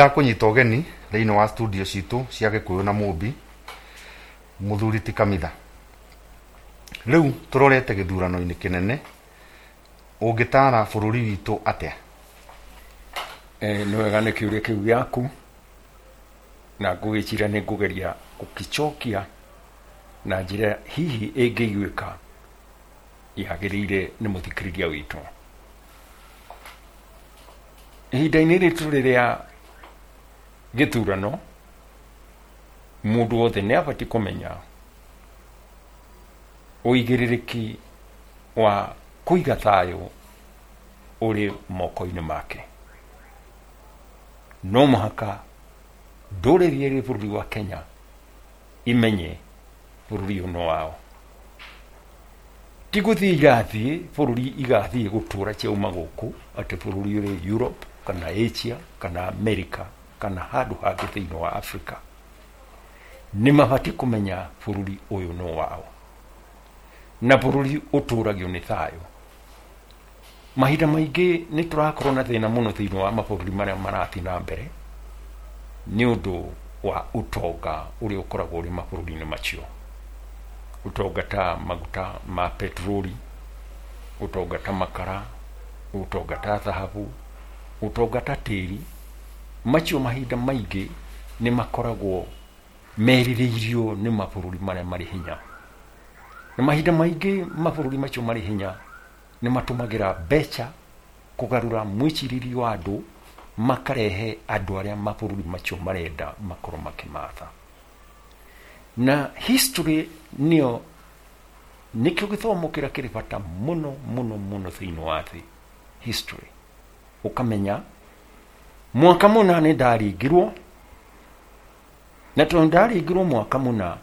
Ndakũnyita ũgeni thĩinĩ wa studio citũ cia Gĩkũyũ na Mũmbi, mũthuri ti Kamitha. Rĩu tũrorete gĩthurano-inĩ kĩnene, ũngĩtaara bũrũri witũ atĩa? Nĩ wega nĩ kĩũria kĩu gĩaku, na ngũgĩciria nĩ ngũgeria gũkĩcokia na njĩra hihi ĩngĩiguĩka yagĩrĩire nĩ mũthikĩrĩria witũ. Ihinda-inĩ rĩrĩ tũrĩ rĩa gĩthurano, mũndũ wothe nĩ abatiĩ kũmenya ũigĩrĩrĩki wa kũiga thayũ ũrĩ moko-inĩ make. No mũhaka ndũrĩrĩ ĩrĩ bũrũri wa Kenya imenye bũrũri ũyũ nĩ wao. Ti gũthiĩ irathiĩ bũrũri igathiĩ gũtũra ciauma gũkũ atĩ bũrũri ũrĩ Europe kana Asia kana America kana handũ hangĩ thĩinĩ wa Africa. Nĩ mabatiĩ kũmenya bũrũri ũyũ nĩ wao, na bũrũri ũtũragio nĩ thayũ. Mahinda maingĩ nĩ tũrakorwo na thĩna mũno thĩinĩ wa mabũrũri marĩa marathiĩ na mbere nĩ ũndũ wa ũtonga ũrĩa ũkoragwo ũrĩ mabũrũri-inĩ macio. Ũtonga ta maguta ma petroli, ũtonga ta makara, ũtonga ta thahabu, ũtonga ta tĩri. Macio mahinda maingĩ nĩ makoragwo merirĩirio nĩ mabũrũri marĩa marĩ hinya. Na mahinda maingĩ mabũrũri macio marĩ hinya nĩ matũmagĩra mbeca kũgarũra mwĩcirĩrie wa andũ, makarehe andũ arĩa mabũrũri macio marenda makorwo makĩmatha. Na history nĩyo nĩkĩo gĩthomo kĩrĩa kĩrĩ bata mũno mũno mũno thĩinĩ wa thĩ, history. Ũkamenya mwaka mũna nĩ ndaringirwo, na tondũ ndaringirwo mwaka mũna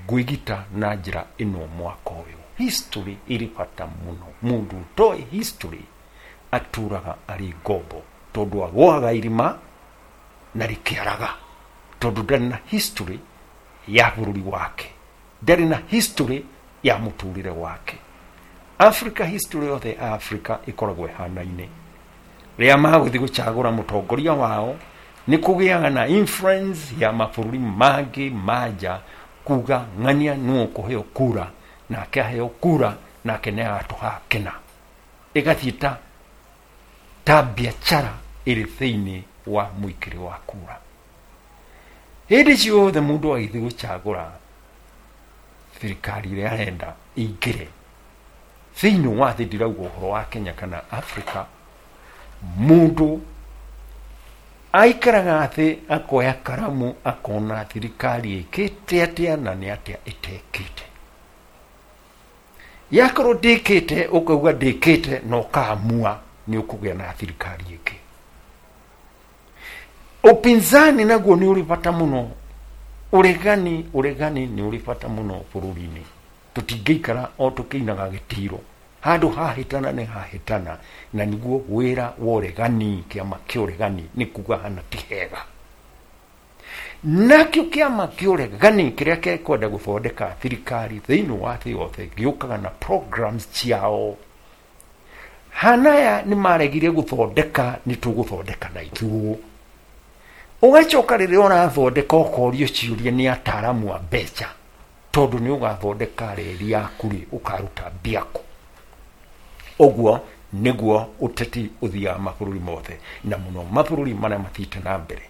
ngwĩgita na njĩra ĩno mwaka ũyũ. History ĩrĩ bata mũno. Mũndũ ũtoĩ history atũraga arĩ ngombo, tondũ agũaga irima na rĩkĩaraga, tondũ ndarĩ na history ya bũrũri wake, ndarĩ na history ya mũtũrĩre wake. Africa, history yothe ya Africa ĩkoragwo ĩhanaine. Rĩrĩa magũthiĩ gũcagũra mũtongoria wao, nĩ kũgĩaga na influence ya mabũrũri mangĩ ma nja kuga ng'ania nũ ũkũheo kura, nake aheo kura nake nĩ agatũha kĩna. Ĩgathiĩ ta biacara ĩrĩ thĩinĩ wa mũikĩrĩ wa kura. Hĩndĩ ciothe mũndũ agĩthiĩ gũcagũra thirikari ĩrĩa arenda ĩingĩre thĩinĩ wa thĩ, ndirauga ũhoro wa Kenya kana Africa, mũndũ aikaraga thĩ akoya karamu akona thirikari ĩkĩte atĩa na nĩ atĩa ĩtekĩte. Yakorwo ndĩkĩte, ũkauga ndĩkĩte na ũkaamua nĩ ũkũgĩa na thirikari ĩngĩ. Upinzani naguo nĩ ũrĩ bata mũno. Ũregani nĩ ũrĩ bata mũno bũrũri-inĩ. Tũtingĩikara o tũkĩinaga gĩtiro. Handũ hahĩtana nĩ hahĩtana, na nĩguo wĩra wa ũregani, kĩama kĩa ũregani nĩ kuga hana ti hega. Nakĩo kĩama kĩa ũregani kĩrĩa kĩkwenda gũthondeka thirikari thĩinĩ wa thĩ yothe gĩũkaga na programs ciao. Hanaya nĩ maregire gũthondeka, nĩ tũgũthondeka na ithuũ. Ũgacoka rĩrĩa ũrathondeka ũkorio ciũria nĩ ataaramu a mbeca, tondũ nĩ ũgathondeka reri yaku rĩ, ũkaruta mbia kũ. Ũguo nĩguo ũteti ũthiaga mabũrũri mothe, na mũno mabũrũri marĩa mathiĩte na mbere.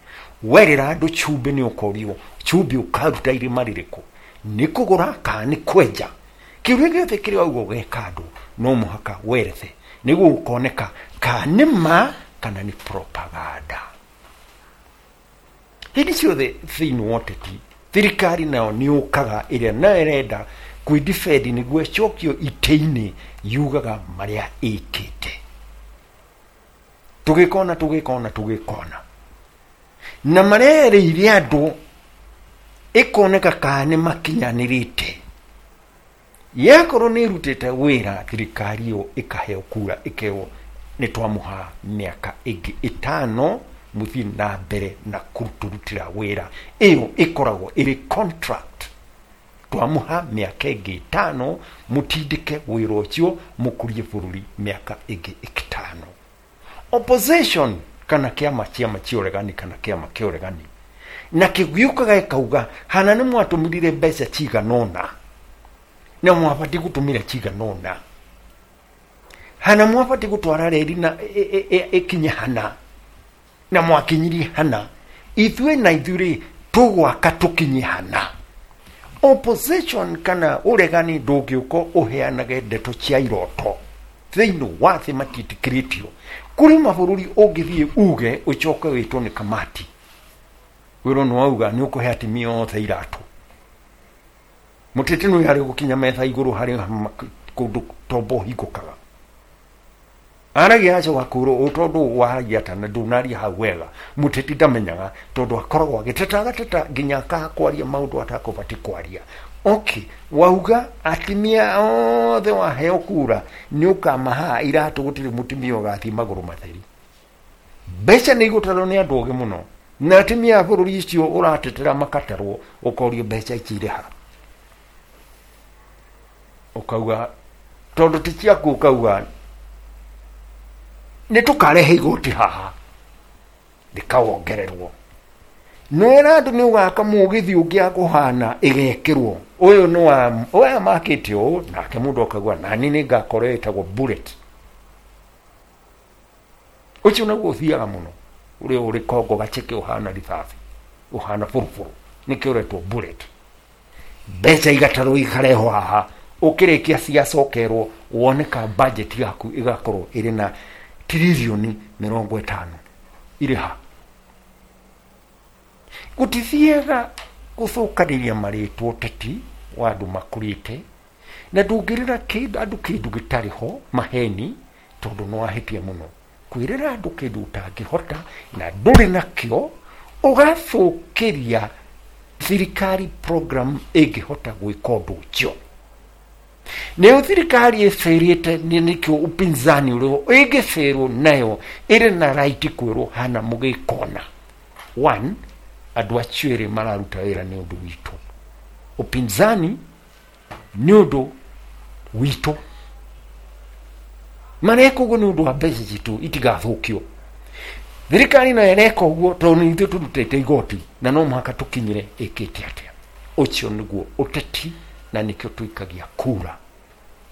Werĩra andũ cumbĩ nĩ ũkorio cumbĩ ũkaruta irima rĩrĩkũ, nĩ kũgũra kana nĩ kwenja. Kĩũria gĩothe kĩrĩa wauga ũgeka andũ no mũhaka werethe nĩguo gũkoneka kana nĩ ma kana nĩ propaganda. Hĩndĩ ciothe thĩinĩ wa ũteti thirikari nayo nĩ yũkaga ĩrĩa nayo ĩrenda kwĩdefend nĩguo ĩcokio itĩ-inĩ, yugaga marĩa ĩkĩte. Tũgĩkona, tũgĩkona, tũgĩkona na marĩa erĩire andũ ĩkoneka kana nĩ makinyanĩrĩte. Yakorwo nĩ ĩrutĩte wĩra, thirikari ĩyo ĩkaheo kura, ĩkerwo nĩ twamũha mĩaka ĩngĩ ĩtano mũthiĩ na mbere na kũrutĩra wĩra. Ĩyo ĩkoragwo ĩrĩ contract. Twamũha mĩaka ĩngĩ ĩtano mũtindĩke wĩra ũcio, mũkũrie bũrũri mĩaka ĩngĩ ĩtano. Opposition Kana kĩama ciama cia ũregani kana kĩama kĩa ũregani na kĩgiũkaga gĩkauga hana nĩ mwatũmĩrire mbeca cigana ũna na mwabatiĩ gũtũmĩra cigana ũna, hana mwabatiĩ gũtwara reri na ĩkinye hana na mwakinyirie hana, ithuĩ na ithuĩ rĩ tũgwaka tũkinye hana. Opposition kana ũregani ndũngĩũka ũheanage ndeto cia iroto thĩinĩ wa thĩ, matiĩtĩkĩrĩtio. Kũrĩ mabũrũri ũngĩthiĩ uge ũcoke wĩtwo nĩ kamati wĩrwo nĩ wauga nĩ ũkũhe atumia othe iratũ. Mũteti nĩ harĩ gũkinya metha igũrũ harĩ kũndũ tombo hingũkaga aragia acoka kwĩrwo ũ tondũ waragia ta na ndũnaria hau wega. Mũteti ndamenyaga tondũ akoragwo agĩteta agateta nginya akaga kwaria maũndũ atakũbatiĩ kwaria. Okay, wauga atumia othe waheo kura nĩ ũkamaha iratũ, gũtirĩ mũtumia ũgathiĩ magũrũ matheri. Mbeca nĩ igũtarwo nĩ andũ ogĩ mũno na atumia a bũrũri ũcio ũratetera makatarwo, ũkorio mbeca ici irĩ ha, ũkauga tondũ ti ciaku, ũkauga nĩ tũkarehe igoti haha rĩkawongererwo. Nwĩra andũ nĩ ũgaka mũgithi ũngĩ akũhana ĩgekĩrwo ũyũ nĩ wa ũyũ makĩte ũũ, nake mũndũ akauga nani nĩ ngakorwo ĩtagwo bullet. Ũcio naguo ũthiaga mũno ũrĩa ũrĩ kongo gaceke ũhana rithathi ũhana bũrũbũrũ nĩkĩo ũretwo bullet. Mbeca igatarwo ikarehwo haha, ũkĩrĩkia ciacokerwo woneka budget yaku ĩgakorwo ĩrĩ na tiririoni 50 irĩ ha. Gũtithiaga gũthũkanĩria marĩtwa ũteti wa andũ makũrĩte, na ndũngĩrĩra andũ kĩndũ gĩtarĩ ho maheni, tondũ nĩ wahĩtia mũno kwĩrĩra andũ kĩndũ ũtangĩhota na ndũrĩ nakĩo, ũgathũkĩria thirikari program ĩngĩhota gwĩka ũndũ ũcio. Nĩyo thirikari ĩbĩrĩte nĩkĩo upinzani ũrĩho ĩngĩbĩrwo nayo ĩrĩ na right kwĩrwo hana mũgĩkona. One, andũ acio erĩ mararuta wĩra nĩ ũndũ witũ, upinzani nĩ ũndũ witũ, mareka ũguo nĩ ũndũ wa mbeca citũ itigathũkio. Thirikari nayo ĩreka ũguo tondũ nĩ ithuĩ tũrutĩte igoti na no mũhaka tũkinyĩre ĩkĩte atĩa. Ũcio nĩguo ũteti na nĩkĩo tũikagia kura.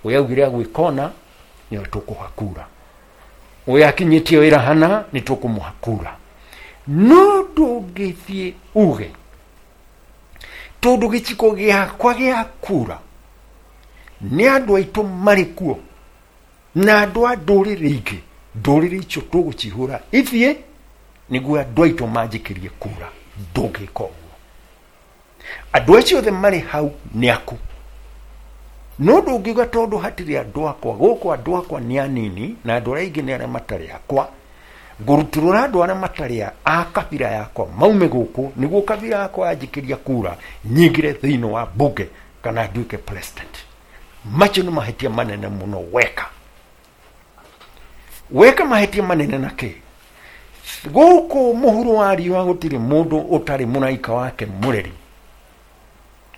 Ũyũ augire agwĩkona nĩwe tũkũha kura, ũyũ akinyĩtie wĩra hana nĩ tũkũmũha kura. No ndũngĩthiĩ uge tondũ gĩciko gĩakwa gĩa kura nĩ andũ aitũ marĩ kuo na andũ a ndũrĩrĩ ingĩ, ndũrĩrĩ icio tũgũcihũra ithiĩ nĩguo andũ aitũ manjĩkĩrie kura. Ndũngĩka ũguo. Andũ acio othe marĩ hau nĩ aku. No ndũngiuga tondũ hatirĩ andũ akwa gũkũ, andũ akwa nĩ anini na andũ arĩa aingĩ nĩ arĩa matarĩ akwa, ngũrutũrũra andũ arĩa matarĩ a kabira yakwa maume gũkũ nĩguo kabira yakwa yanjĩkĩria kura nyingĩre thĩinĩ wa bunge kana nduĩke president. Macio nĩ mahĩtia manene mũno weka. Weka mahĩtia manene na kĩ? Gũkũ mũhuro wa riũa gũtirĩ mũndũ ũtarĩ mũraika wake mũreri.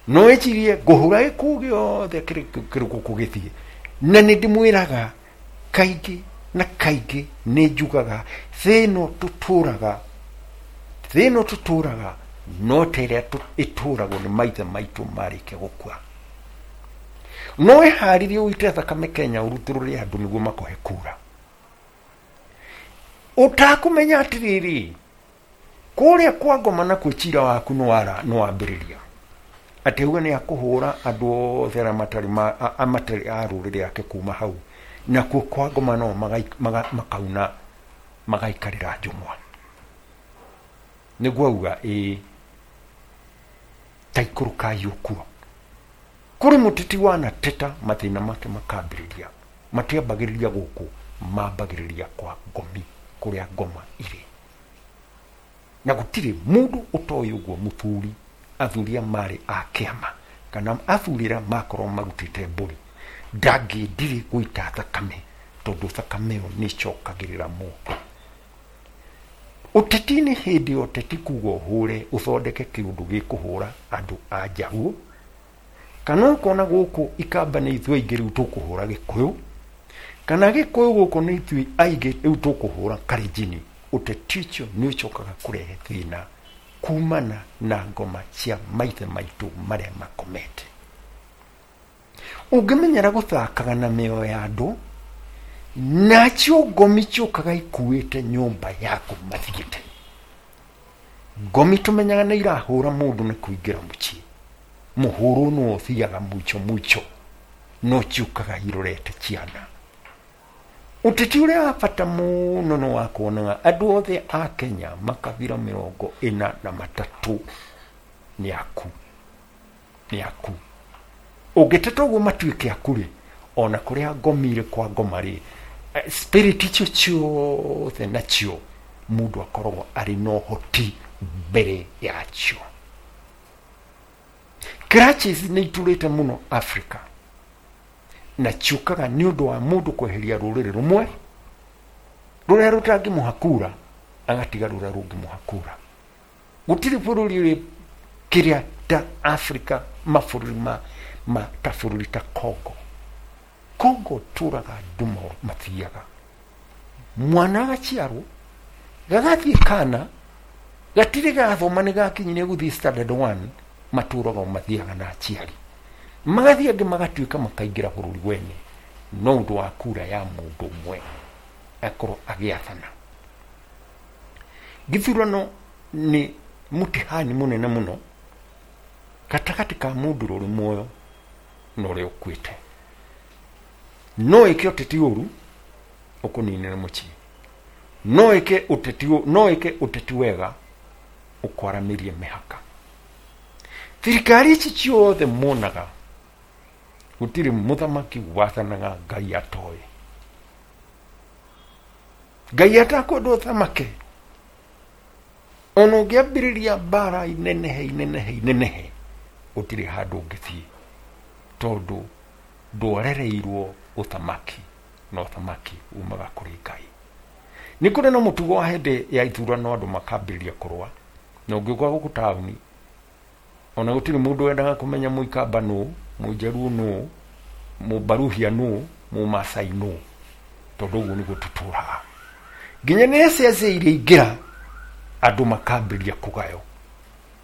No ĩcirie ngũhũra gĩkuũ gĩothe kĩrĩ gũkũ gĩthiĩ. Na nĩ ndĩmwĩraga kaingĩ na kaingĩ nĩ njugaga thĩ ĩno tũtũraga, thĩ ĩno tũtũraga no ta ĩrĩa ĩtũragwo nĩ maithe maitũ marĩkia gũkua. No ĩharĩrie ũite thakame Kenya ũrutũrũre andũ nĩguo makũhe kura. Ũtakũmenya atĩrĩrĩ, kũrĩa kwa ngoma nakuo cira waku nĩ wambĩrĩria. Atĩ auga nĩ akũhũra andũ othe arĩa matarĩ a rũrĩrĩ ake kuma hau, nakuo kwa ngoma no makauna magaikarĩra njũng'wa. Nĩguo auga ĩĩ ta ikũrũkai ũkuo. Kũrĩ mũteti wanateta mathĩna make makambĩrĩria, matiambagĩrĩria gũkũ, mambagĩrĩria kwa ngomi kũrĩa ngoma irĩ. Na gũtirĩ mũndũ ũtoĩ ũguo mũthuri, athuri a marĩ a kĩama kana athuri arĩa makorwo marutĩte mbũri ndangĩendire gũita thakame tondũ thakame ĩyo nĩ ĩcokagĩrĩra mũndũ. Ũteti-inĩ hĩndĩ ya ũteti kuga ũhũre ũthondeke kĩũndũ gĩkũhũra andũ a Njaruo, kana ũkona gũkũ ikamba nĩ ithuĩ aingĩ rĩu tũkũhũra Gĩkũyũ, kana Gĩkũyũ gũkũ nĩ ithuĩ aingĩ rĩu tũkũhũra Kalenjin. Ũteti ũcio nĩ ũcokaga kũrehe thĩna kumana na ngoma cia maithe maitũ marĩa makomete. Ũngĩmenyera gũthakaga na mĩoyo ya andũ, nacio ngomi ciũkaga ikuĩte nyũmba yaku mathiĩte. Ngomi tũmenyaga nĩ irahũra mũndũ nĩ kũingĩra mũciĩ, mũhũrwo no ũthiaga muico muico, no ciũkaga irorete ciana. Ũteti ũrĩa wa bata mũno nĩ wa kuonaga andũ othe a Kenya makabira 43 nĩ aku, nĩ aku. Ũngĩteta ũguo matuĩke aku rĩ, ona kũrĩa ngomire kwa ngoma rĩ, spirit icio ciothe nacio mũndũ akoragwo arĩ na ũhoti mbere yacio. Crutches nĩ itũrĩte mũno Africa, na ciũkaga nĩ ũndũ wa mũndũ kweheria rũrĩrĩ rũmwe rũrĩa rũtangĩmũha kura, agatiga rũrĩa rũngĩmũha kura. Gũtirĩ bũrũri ũrĩ kĩrĩa ta Africa, mabũrũri ma ta bũrũri ta Congo. Congo tũraga andũ mathiaga, mwana agaciarwo gagathiĩ kana gatirĩ gathoma nĩ gakinyire gũthiĩ standard 1, matũraga mathiaga na aciari magathiĩ angĩ magatuĩka makaingĩra bũrũri wene no ũndũ wa kura ya mũndũ ũmwe akorwo agĩathana. Gĩthurano nĩ mũtihani mũnene mũno gatagatĩ ka mũndũ ũrĩ muoyo na ũrĩa ũkuĩte. No ĩke ũteti ũru ũkũninĩre mũciĩ, no ĩke ũteti, no ĩke ũteti wega ũkwaramĩrie mĩhaka. Thirikari ici ciothe monaga gũtirĩ mũthamaki wathanaga Ngai atoĩ. Ngai atakwenda ũthamake, ona ũngĩambĩrĩria mbara inenehe inenehe inenehe, gũtirĩ handũ ũngĩthiĩ, tondũ ndwarereirwo ũthamaki, na ũthamaki umaga kũrĩ Ngai. Nĩ kũrĩ na mũtugo wa hĩndĩ ya ithurano andũ makambĩrĩria kũrũa, na ũngĩũka gũkũ taũni ona gũtirĩ mũndũ wendaga kũmenya Mũikamba nũ, Mũnjaruo nũ, Mũbaruhia nũ, Mũmaasai nũ, tondũ ũguo nĩguo tũtũraga. Nginya nĩ ciaca iria ingĩra andũ makambĩrĩria kũgayo,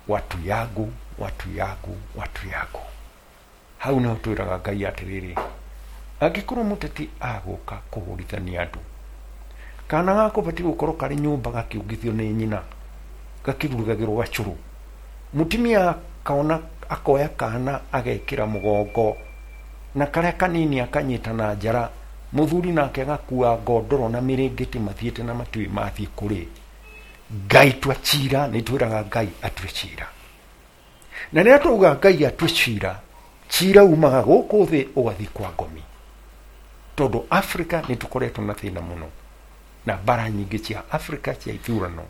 watu yangu, watu yangu, watu yangu. Hau nĩho twĩraga Ngai atĩrĩrĩ, angĩkorwo mũteti agũka kũhũrithania andũ, kana gakũbatiĩ gũkorwo karĩ nyũmba gakĩũngithio nĩ nyina, gakĩrugagĩrwo gacũrũ, mũtumia akaona akoya kana agekĩra mũgongo, na karĩa kanini akanyita na njara, mũthuri nake agakua ngondoro na mĩrĩngĩti mathiĩte na matiũĩ mathiĩ kũrĩ. Ngai tua cira, nĩ twĩraga Ngai atue cira. Na rĩrĩa twauga Ngai atue cira, cira umaga gũkũ thĩ ũgathiĩ kwa ngomi. Tondũ Africa nĩ tũkoretwo na thĩna mũno, na mbara nyingĩ cia Africa cia ithurano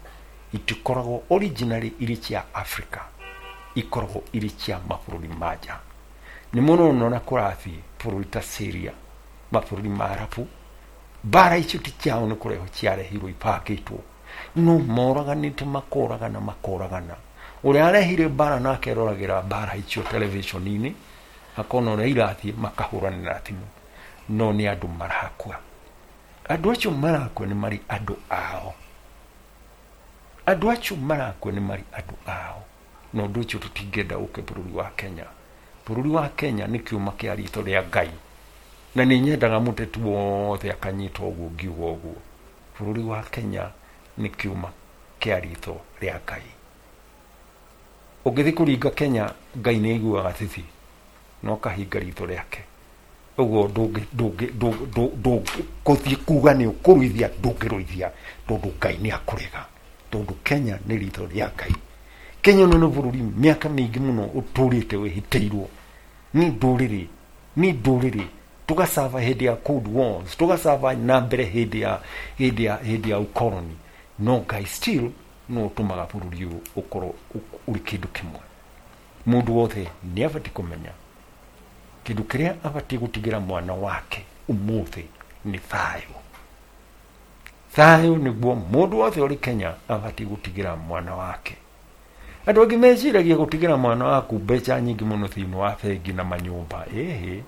itikoragwo originally irĩ cia Africa, ikoragwo irĩ cia mabũrũri ma nja. Nĩ mũno ũrona kũrathiĩ bũrũri ta Syria, mabũrũri ma Arabu, mbara icio ti ciao nĩ kũrehwo ciarehirwo ibangĩtwo, no moraganĩte makoragana makoragana. Ũrĩa arehire mbara nake aroragĩra mbara icio television-inĩ, akona ũrĩa irathiĩ makahũranĩra thimũ, no nĩ andũ marakua. Andũ acio marakua nĩ marĩ andũ ao. Andũ acio marakua nĩ marĩ andũ ao. Na ũndũ ũcio tũtingĩenda ũke bũrũri wa Kenya. Bũrũri wa Kenya nĩ kĩũma kĩa ritho rĩa Ngai. Na nĩ nyendaga mũteti wothe akanyita ũguo ngiuga ũguo. Bũrũri wa Kenya nĩ kĩũma kĩa ritho rĩa Ngai. Ũngĩthiĩ kũringa Kenya, Ngai nĩ aiguaga thithi, no kahinga ritho rĩake. Ũguo ndũngĩ kuga nĩ ũkũruithia, ndũngĩruithia, tondũ Ngai nĩ akũrega. Tondũ Kenya nĩ ritho rĩa Ngai. Kenya ĩno nĩ bũrũri mĩaka mĩingĩ mũno ũtũrĩte wĩhĩtĩirwo nĩ ndũrĩrĩ, nĩ ndũrĩrĩ. Tũgacaba hĩndĩ ya Cold Wars, tũgacaba na mbere hĩndĩ ya ũkoroni. No Ngai still no ũtũmaga bũrũri ũyũ ũkorwo ũrĩ kĩndũ kĩmwe. Mũndũ wothe nĩ abatiĩ kũmenya kĩndũ kĩrĩa abatiĩ gũtigĩra mwana wake ũmũthĩ nĩ thayũ. Thayũ nĩguo mũndũ wothe ũrĩ Kenya abatiĩ gũtigĩra mwana wake. Andũ angĩ meciragia gũtigĩra mwana waku mbeca nyingĩ mũno thĩinĩ wa bengi na manyũmba. Ĩhĩ,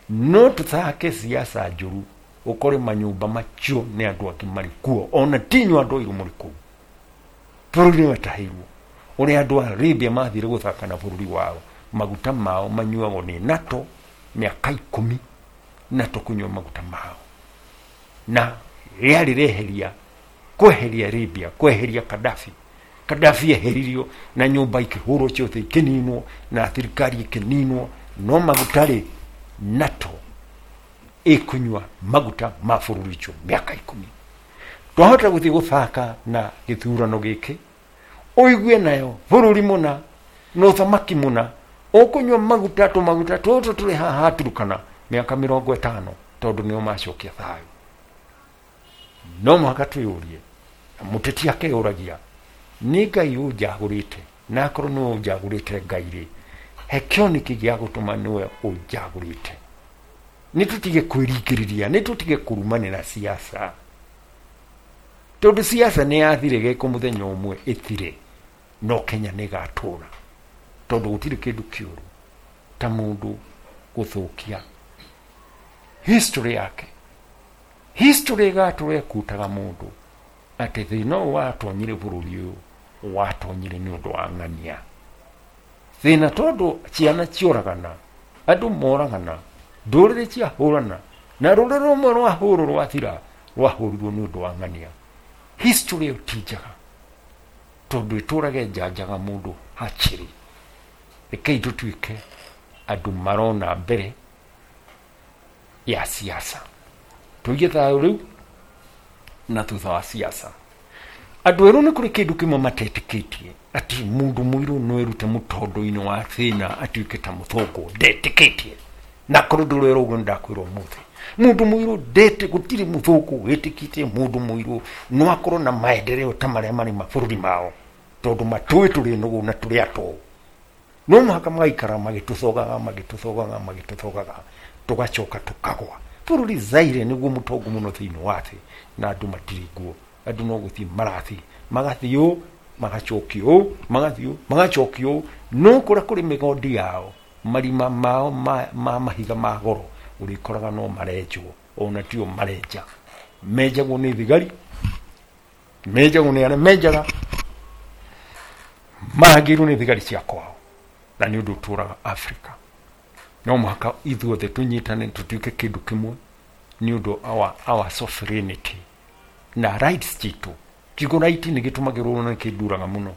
no tũthake siasa njũru Ũkore manyũmba macio nĩ andũ angĩ marĩ kuo, ona tinyu andũ airũ mũrĩ kũu. Bũrũri nĩ watahirwo. Ũrĩa andũ a Arabia mathire gũthaka na bũrũri wao, maguta mao manyuagwo nĩ NATO mĩaka 10, NATO kũnyua maguta mao. Na rĩarĩ rĩeheria, kweheria Libya, kweheria Gaddafi. Gaddafi eheririo na nyũmba ikĩhũrwo ciothe ikĩninwo na thirikari ĩkĩninwo, no maguta rĩ NATO ĩkũnyua maguta ma bũrũri ũcio mĩaka 10. Twahota gũthiĩ gũthaka na gĩthurano gĩkĩ, ũigue nayo bũrũri mũna na ũthamaki mũna ũkũnyua maguta tũmaguta tũtũ tũrĩ haha Turkana mĩaka 50, tondũ nĩo macokia thayũ. No mũhaka twĩyũrie, na mũteti akeyũragia, nĩ Ngai ũnjagũrĩte? Na akorwo nĩwe ũnjagũrĩte Ngai rĩ, he kĩoneki gĩa gũtũma nĩwe ũnjagũrĩte. Nĩ tũtige kwĩringĩrĩria, nĩ tũtige kũrumanĩra siasa, tondũ siasa nĩ yathire gĩko mũthenya ũmwe ĩthire, no Kenya nĩ ĩgatũra, tondũ gũtirĩ kĩndũ kĩũru ta mũndũ gũthũkia history yake. History ĩgatũra ĩkutaga mũndũ atĩ thĩna ũyũ watonyire bũrũri ũyũ watonyire nĩ ũndũ wa ng'ania. Thĩna tondũ ciana cioragana, andũ moragana, ndũrĩrĩ ciahũrana, na rũrĩrĩ rũmwe rwahũrwo rwathira, rwahũrirwo nĩ ũndũ wa ng'ania. History ĩyo ti njega, tondũ ĩtũrage njanjaga mũndũ hakiri. Rekei tũtuĩke andũ marona mbere ya siasa, tũige thayũ rĩu na thutha wa siasa. Andũ erũ nĩ kũrĩ kĩndũ kĩmwe matetĩkĩtie, atĩ mũndũ mũirũ no erute mũtondo-inĩ wa thĩna atuĩke ta mũthũngũ. Ndetĩkĩtie, na korwo ndũrerwo ũguo nĩndakwĩra ũmũthĩ, mũndũ mũirũ ndete, gũtirĩ mũthũngũ wĩtĩkĩtie mũndũ mũirũ no akorwo na maendeleo ta marĩa marĩ mabũrũri mao, tondũ matũĩ tũrĩ nũgũ na tũrĩ atũũ. No mũhaka magaikara magĩtũthogaga, magĩtũthogaga, magĩtũthogaga, tũgacoka tũkagwa. Bũrũri Zaire nĩguo mũtongu mũno thĩinĩ wa thĩ, na andũ matirĩ nguo. Andũ no gũthiĩ marathiĩ, magathiĩ ũũ, magacokio ũũ, magathiĩ ũũ, magacokio ũũ. No kũrĩa kũrĩ mĩgondi yao, marima mao ma mahiga ma goro, ũrĩkoraga no marenjwo, ona tio marenja. Menjagwo nĩ thigari, menjagwo nĩ arĩa menjaga, marangĩirwo nĩ thigari cia kwao, na nĩ ũndũ ũtũraga Afrika. No mũhaka ithuothe tũnyitane tũtuĩke kĩndũ kĩmwe nĩ ũndũ our sovereignty na rights citũ. Kiugo right nĩ gĩtũmagĩrwo na kĩnduraga mũno,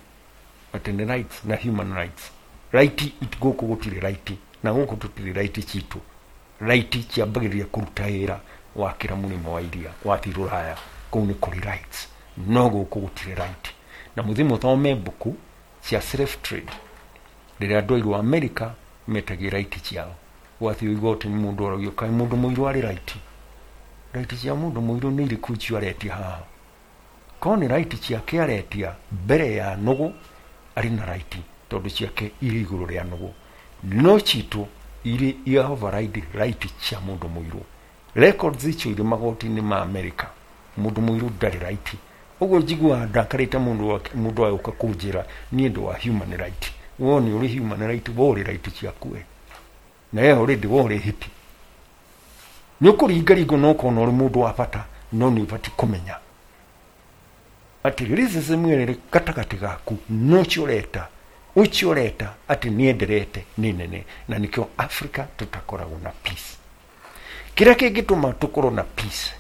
atĩ nĩ rights na human rights. Right gũkũ gũtirĩ right, na gũkũ tũtirĩ right citũ. Right ciambagĩrĩria kũruta wĩra wakĩra mũrĩmo wa iria wathiĩ Rũraya, kũu nĩ kũrĩ rights, no gũkũ gũtirĩ right. Na mũthiĩ mũthome mbuku cia slave trade, rĩrĩa andũ airũ Amerika metagia right ciao, gwathiĩ igoti nĩ mũndũ oragio, kaĩ mũndũ mũirũ arĩ right? Right cia mũndũ mũirũ nĩ irĩkũ icio aretia haha? Korwo nĩ right ciake aretia mbere ya nũgũ, arĩ na right, tondũ ciake irĩ igũrũ rĩa nũgũ. No citũ irĩ ia override right cia mũndũ mũirũ. Records icio irĩ magoti-inĩ ma Amerika, mũndũ mũirũ ndarĩ right. Ũguo njiguaga ndakarĩte mũndũ agĩũka kũnjĩra niĩ ndĩ wa human right. Wo nĩ ũrĩ human right, wo ũrĩ right ciaku we. Na we already wo ũrĩ hippie. Nĩ ũkũringaringwo na ũkona ũrĩ mũndũ wa bata, no nĩ ũbatiĩ kũmenya atĩ racism ĩrĩ gatagatĩ gaku no ũcio ũreta, ũcio ũreta atĩ nĩenderete nĩ nene, na nĩkĩo Africa tũtakoragwo na peace. Kĩrĩa kĩngĩtũma tũkorwo na peace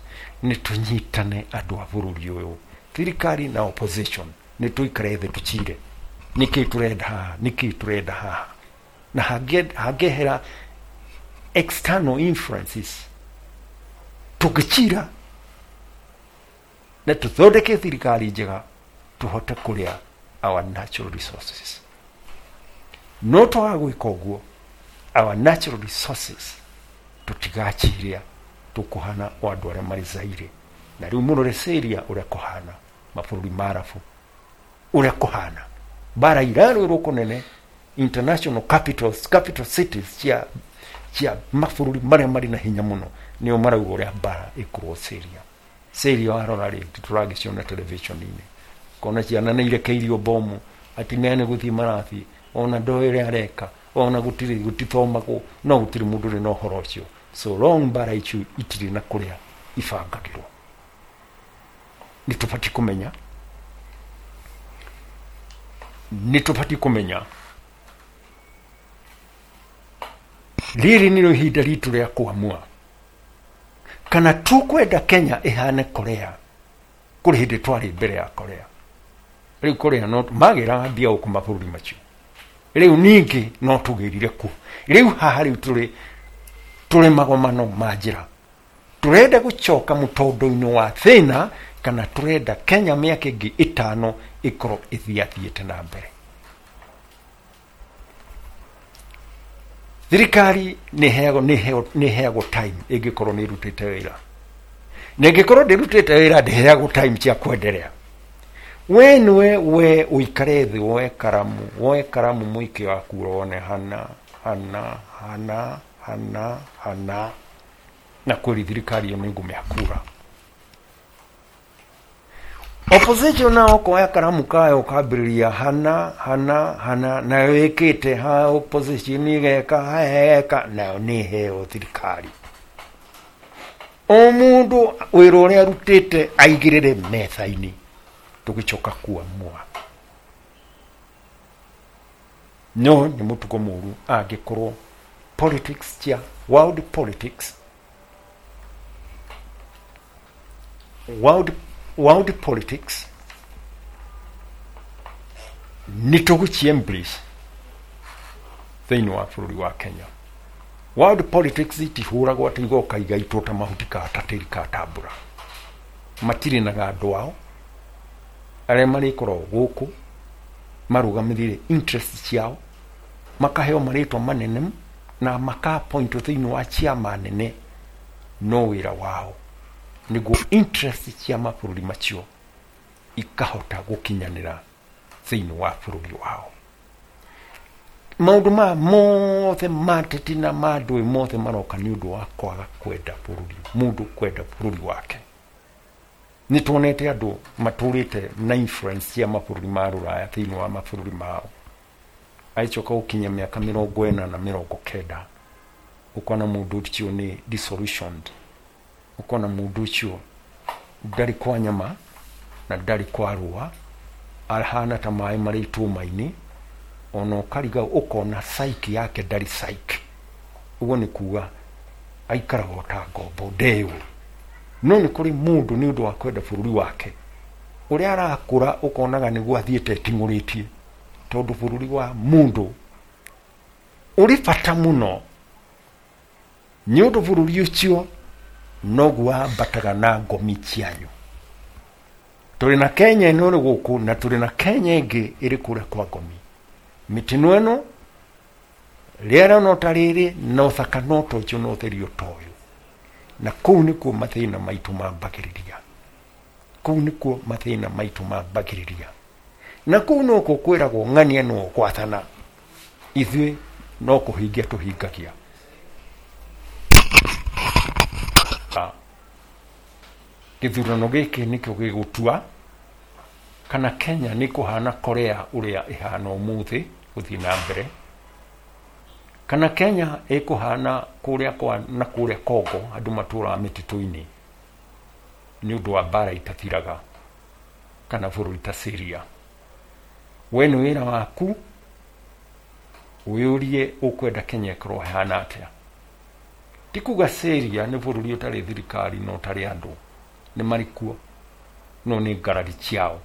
nĩ tũnyitane andũ a bũrũri ũyũ, thirikari na opposition, nĩ tũikare thĩ tũcire nĩkĩ tũrenda haha, nĩkĩ tũrenda haha, na hangĩehera external influences tũngĩcira na tũthondeke thirikari njega, tũhote kũrĩa our natural resources. No twaga gwĩka ũguo, our natural resources tũtigaciria, tũkũhana o andũ arĩa marĩ Zaire. Na rĩu mũrore Syria ũrĩa kũhana, mabũrũri ma Arabu ũrĩa kũhana, mbara irarũĩrwo kũnene, international capitals, capital cities cia mabũrũri marĩa marĩ na hinya mũno nĩo marauga ũrĩa mbara ĩkũrwo Syria. Syria warora rĩ, tũragĩciona television-inĩ, kona ciana nĩ irekeirio bomu, atumia nĩ gũthiĩ marathiĩ, ona ndoĩ ũrĩa areka, ona gũtirĩ gũtithomagwo, no gũtirĩ mũndũ ũrĩ na ũhoro ũcio. So long mbara icio itirĩ na kũrĩa Ibangagĩrwo nĩ tũbatiĩ kũmenya, nĩ tũbatiĩ kũmenya rĩrĩ nĩrĩo ihinda ritũ rĩa kũamua kana tũkwenda Kenya ĩhane Korea. Kũrĩ hĩndĩ twarĩ mbere ya Korea, rĩu Korea no magĩraga mbia gũkũ mabũrũri macio, rĩu ningĩ no tũgĩrire kuo. Rĩu haha rĩu tũrĩ magomano ma njĩra, tũrenda gũcoka mũtondo-inĩ wa thĩna kana tũrenda Kenya mĩaka ĩngĩ 5 ĩkorwo ĩthiathiĩte na mbere. Thirikari nĩ ĩheagwo time ĩngĩkorwo nĩ ĩrutĩte wĩra, na ĩngĩkorwo ndĩrutĩte wĩra ndĩheagwo time cia kwenderea. We nĩwe we ũikare thĩ woe karamu mũingĩ waku ũrone hana hana hana hana hana, na kweli thirikari ĩyo nĩ ngũmĩha kura. Opposition nao koya karamu kayo kambĩrĩria hana hana hana, nayo ĩkĩte ha opposition ĩgeka heka, nayo nĩ ĩheo thirikari. O mũndũ wĩra ũrĩa arutĩte aigĩrĩre metha-inĩ, tũgĩcoka kuamua. No nĩ mũtugo mũru angĩkorwo politics cia world politics, world politics nĩ tũgũci embrace thĩinĩ wa bũrũri wa Kenya. World politics itihũragwo atĩ igoka igaitwo ta mahuti ka ta tĩri ka tambura. Matirĩ na andũ ao arĩa marĩkoragwo gũkũ marũgamĩrĩire interest ciao, makaheo marĩtwa manene na maka-appointwo thĩinĩ wa ciama nene, no wĩra wao nĩguo interest cia mabũrũri macio ikahota gũkinyanĩra thĩinĩ wa bũrũri wao. Maũndũ maya mothe ma ateti na ma ndũĩ mothe maroka nĩ ũndũ wa kwaga kwenda bũrũri, mũndũ kwenda bũrũri wake. Nĩ tuonete andũ matũrĩte na influence cia mabũrũri ma rũraya thĩinĩ wa mabũrũri mao, agĩcoka gũkinya mĩaka 40 na 90 ũkona mũndũ ũcio nĩ disillusioned, ũkona mũndũ ũcio ndarĩ kwa nyama na ndarĩ kwa rũa, ahana ta maĩ marĩ itũma-inĩ, ona ũkariga ũkona psyche yake ndarĩ psyche. Ũguo nĩ kuga aikaraga ta ngombo ndeyũĩ. No nĩ kũrĩ mũndũ nĩ ũndũ wa kwenda bũrũri wake ũrĩa arakũra ũkonaga nĩguo athiĩte eting'ũrĩtie, tondũ bũrũri wa mũndũ ũrĩ bata mũno, nĩ ũndũ bũrũri ũcio noguo wambataga na ngomi cianyu. Tũrĩ na Kenya ĩno ĩrĩ gũkũ na tũrĩ na Kenya ĩngĩ ĩrĩ kũrĩa kwa ngomi. Mĩtino ĩno, rĩera no ta rĩrĩ, na ũthaka no ta ũcio, na ũtheri o ta ũyũ. Na kũu nĩkuo mathĩna maitũ mambagĩrĩria. Kũu nĩkuo mathĩna maitũ mambagĩrĩria. Na kũu nokuo kwĩragwo ng'ania no gwathana, ithuĩ no kũhingia tũhingagia. Gĩthurano gĩkĩ nĩkĩo gĩgũtua kana Kenya nĩ kũhana Korea ũrĩa ĩhana ũmũthĩ gũthiĩ na mbere, kana Kenya ĩkũhana kũrĩa kwa na kũrĩa Congo andũ matũraga mĩtitũ-inĩ nĩ ũndũ wa mbara itathiraga, kana bũrũri ta Syria. We nĩ wĩra waku wĩyũrie ũkwenda Kenya ĩkorwo ĩhana atĩa. Ti kuga Syria nĩ bũrũri ũtarĩ thirikari na ũtarĩ andũ, nĩ marĩ kuo, no nĩ ngarari ciao,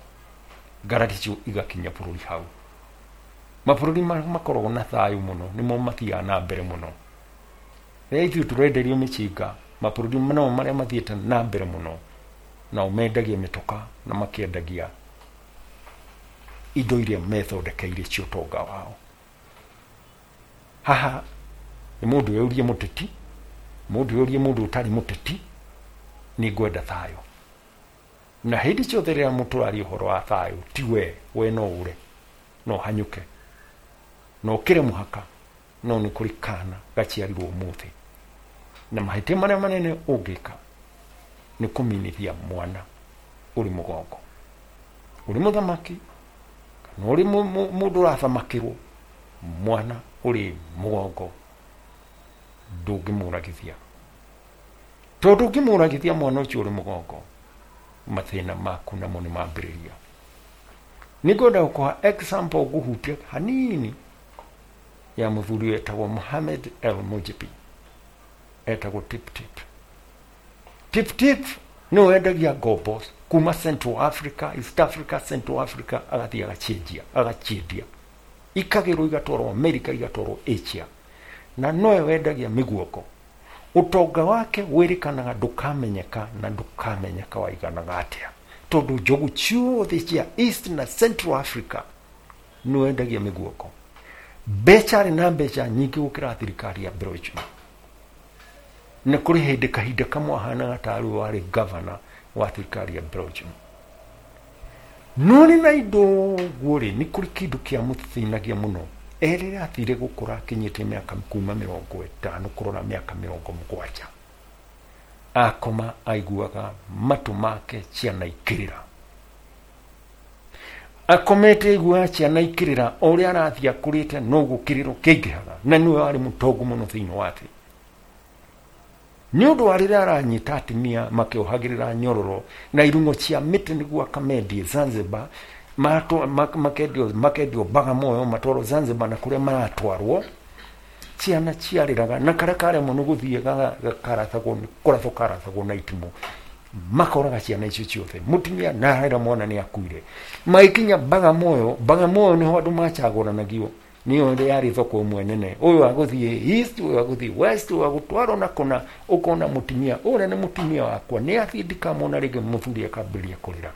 ngarari icio igakinya bũrũri hau. Mabũrũri makoragwo na thayũ mũno nĩmo mathiaga na mbere mũno. Rĩrĩa ithuĩ tũrenderio mĩcinga, mabũrũri namo marĩa mathiĩte na mbere mũno nao mendagia mĩtoka na makĩendagia indo iria methondekeire cia ũtonga wao. Haha nĩ mũndũ wĩyũrie mũteti, mũndũ wĩyũrie mũndũ ũtarĩ mũteti, nĩ ngwenda thayũ. Na hĩndĩ ciothe rĩrĩa mũtũraria ũhoro wa thayũ, ti we no ũre, no hanyũke, no ũkĩre mũhaka, no nĩ kũrĩ kana gaciarirwo ũmũthĩ. Na mahĩtia marĩa manene ũngĩka nĩ kũminithia mwana ũrĩ mũgongo, ũrĩ mũthamaki kana ũrĩ mũndũ ũrathamakĩrwo, mwana ũrĩ mũgongo ndũngĩmũragithia. Tondũ ũngĩmũragithia mwana ũcio ũrĩ mũgongo, mathĩna maku namo nĩ mambĩrĩria. Nĩngwenda gũkũha example ngũhutia hanini ya mũthuri wetagwo Mohamed El Mujibi, etagwo Tip Tip. Tip Tip nĩwe wendagia ngombo kuma Central Africa, East Africa, Central Africa, agathiĩ agaciendia, agaciendia ikagĩrwo igatwarwo America, igatwarwo Asia, na nowe wendagia mĩguongo. Ũtonga wake wĩrĩkanaga ndũkamenyeka na ndũkamenyeka waiganaga atĩa, tondũ njogu ciothe cia East na Central Africa nĩwe wendagia mĩguongo. Mbeca arĩ na mbeca nyingĩ gũkĩra thirikari ya Belgium. Na kũrĩ hĩndĩ kahinda kamwe ahanaga tarĩ we warĩ governor wa thirikari ya Belgium. No nĩ na indo ũguo rĩ, nĩ kũrĩ kĩndũ kĩamũthĩnagia mũno. Erĩra athire gũkũra akinyĩte mĩaka kuma 50 kũrora mĩaka 70. Akoma aiguaga matũ make ciana ikĩrĩra. Akomete aiguaga ciana ikĩrĩra, o ũrĩa arathiĩ akũrĩte noguo kĩrĩro kĩingĩhaga, na nĩwe warĩ mũtongu mũno thĩinĩ wa thĩ. Nĩ ũndũ wa rĩrĩa aranyita atumia makĩohagĩrĩra nyororo na irung'o cia mĩtĩ nĩguo akamendie Zanzibar, makendio Bagamoyo, matwarwo Zanzibar na kũrĩa maratwarwo, ciana ciarĩraga na karĩa karemwo nĩ gũthiĩ karathagwo, kũrathwo karathagwo na itimũ, makoraga ciana icio ciothe. Mũtumia na ararĩra mwana nĩ akuire. Magĩkinya Bagamoyo, Bagamoyo nĩho andũ macagũranagio, nĩyo yarĩ thoko ĩmwe nene, ũyũ agũthiĩ east, ũyũ agũthiĩ west, ũyũ agũtwarwo na kũna, ũkona mũtumia ũrĩa nĩ mũtumia wakwa nĩ athiĩ ndikamwona rĩngĩ, mũthuri akambĩrĩria kũrĩra.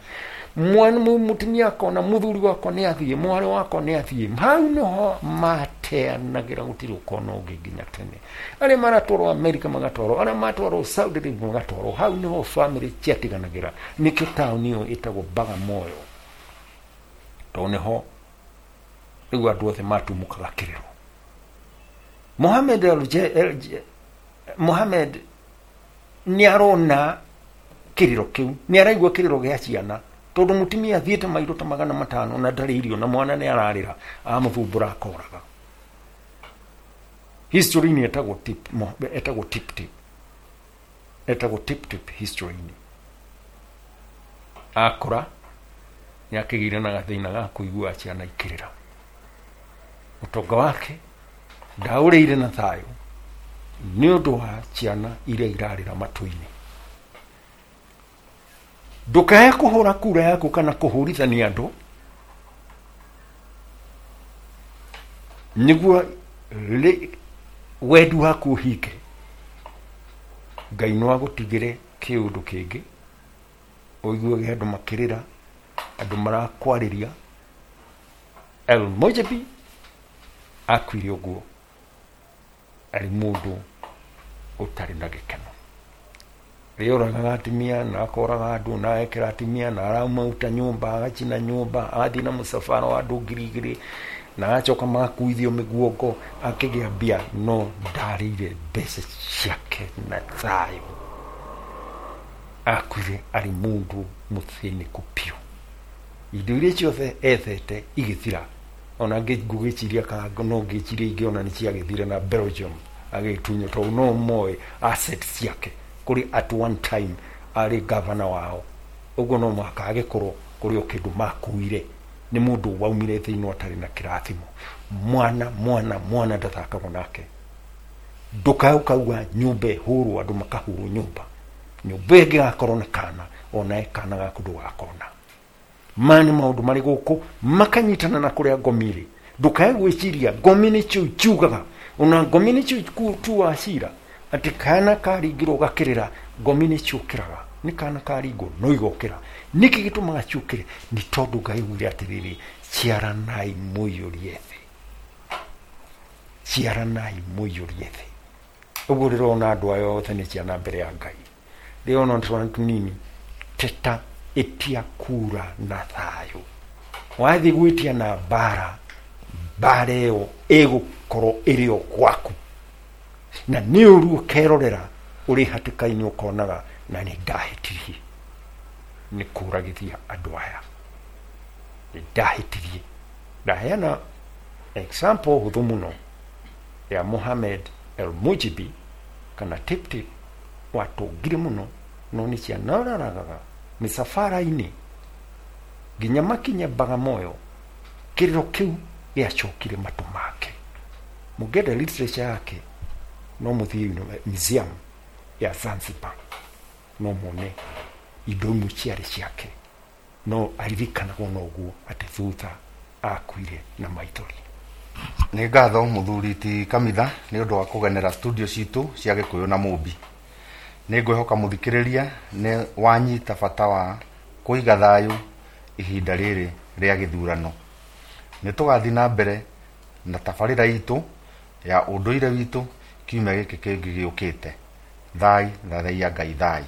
Mwana mũtumia akona mũthuri wakwa nĩ athiĩ, mwarĩ wakwa nĩ athiĩ. Hau nĩho mateanagĩra, gũtirĩ ũkona ũngĩ nginya tene. Arĩa maratwarwo America magatwarwo, arĩa maratwarwo Saudi Arabia magatwarwo, hau nĩho family ciatiganagĩra. Nĩkĩo taũni ĩyo ĩtagwo Bagamoyo, tondũ nĩho rĩu andũ othe matumũkaga kĩrĩro. Mohamed nĩ arona kĩrĩro kĩu, nĩ araigua kĩrĩro gĩa ciana, tondũ mũtumia athiĩte mairo ta 500 na ndarĩ irio na mwana nĩ ararĩra, amũthumbũra akoraga. History-inĩ etagwo Tip, etagwo Tip Tip, etagwo Tip Tip history-inĩ. Akũra nĩ akĩgĩire na gathĩna ga kũigua ciana ikĩrĩra. Ũtonga wake ndaũrĩire na thayũ nĩ ũndũ wa ciana iria irarĩra matũ-inĩ. Ndũkae kũhũra kura yaku kana kũhũrithania andũ nĩguo wendi waku ũhinge. Ngai no agũtigĩre kĩũndũ kĩngĩ, ũiguage andũ makĩrĩra, andũ marakwarĩria. El Mojabi akuire ũguo arĩ mũndũ ũtarĩ na gĩkeno. Rĩoragaga atumia na akoraga andũ na agekĩra atumia na aramauta nyũmba, agacina nyũmba, agathiĩ na mũcabara wa andũ 2000 na agacoka magakuithio mĩguongo, akĩgĩa mbia, no ndarĩire mbeca ciake na thayũ. Akuire arĩ mũndũ mũthĩnĩku biũ. Indo iria ciothe ethete igĩthira. Ona ngũgĩciria kana no ngĩciria ingĩ ona nĩ ciagĩthire na Belgium agĩtunywo, tondũ no moĩ assets ciake. Kũrĩ at one time arĩ governor wao, ũguo no mũhaka agĩkorwo kũrĩ o kĩndũ makuire. Nĩ mũndũ waumire thĩinĩ atarĩ na kĩrathimo. Mwana mwana mwana ndathakagwo nake. Ndũkae ũkauga nyũmba ĩhũrwo, andũ makahũrwo nyũmba. Nyũmba ĩngĩ gakorwo na kana, onawe kana gaku ndũgakona. Maya nĩ maũndũ marĩ gũkũ makanyitana na kũrĩa ngomi ĩrĩ. Ndũkae gwĩciria ngomi nĩcio ciugaga, ona ngomi nĩcio tuaga cira atĩ kana karingirwo gakĩrĩra, ngomi nĩciũkĩraga. Nĩ kana karingwo no igokĩra. Nĩkĩ gĩtũmaga ciũkĩre? Nĩ tondũ Ngai augire atĩrĩrĩ, ciaranai mũiyũrie thĩ, ciaranai mũiyũrie thĩ. Ũguo rĩrona andũ aya othe nĩ ciana mbere ya Ngai. Rĩrona twana tũnini, teta ĩtia kura na thayũ. Wathiĩ gwĩtia na mbara, mbara ĩyo ĩgũkorwo ĩrĩ o gwaku. Na nĩ ũru ũkerorera ũrĩ hatĩka-inĩ ũkonaga na nĩ ndahĩtirie nĩ kũragithia andũ aya, nĩ ndahĩtirie. Ndaheana example hũthũ mũno ya Mohamed El Mujibi kana Tip Tip, Watongire mũno, no nĩ cianararagaga mĩcabara-inĩ nginya makinye Bagamoyo. Kĩrĩro kĩu gĩacokire matũ make. Mũngĩenda literature yake, no mũthiĩ museum ya Zanzibar, no muone indo imwe ciarĩ ciake, no aririkanagwo noguo atĩ thutha akuire na maithori. Nĩ ngatho mũthuri ti Kamitha nĩ ũndũ wa kũgenera studio citũ cia Gĩkũyũ na Mũmbi. Nĩ ngwĩhoka mũthikĩrĩria nĩ wanyita bata wa kũiga thayũ ihinda rĩrĩ rĩa gĩthurano. Nĩ tũgathiĩ na mbere na tabarĩra itũ ya ũndũire witũ kiumia gĩkĩ kĩngĩ gĩũkĩte. Thai thathaiya Ngai thai.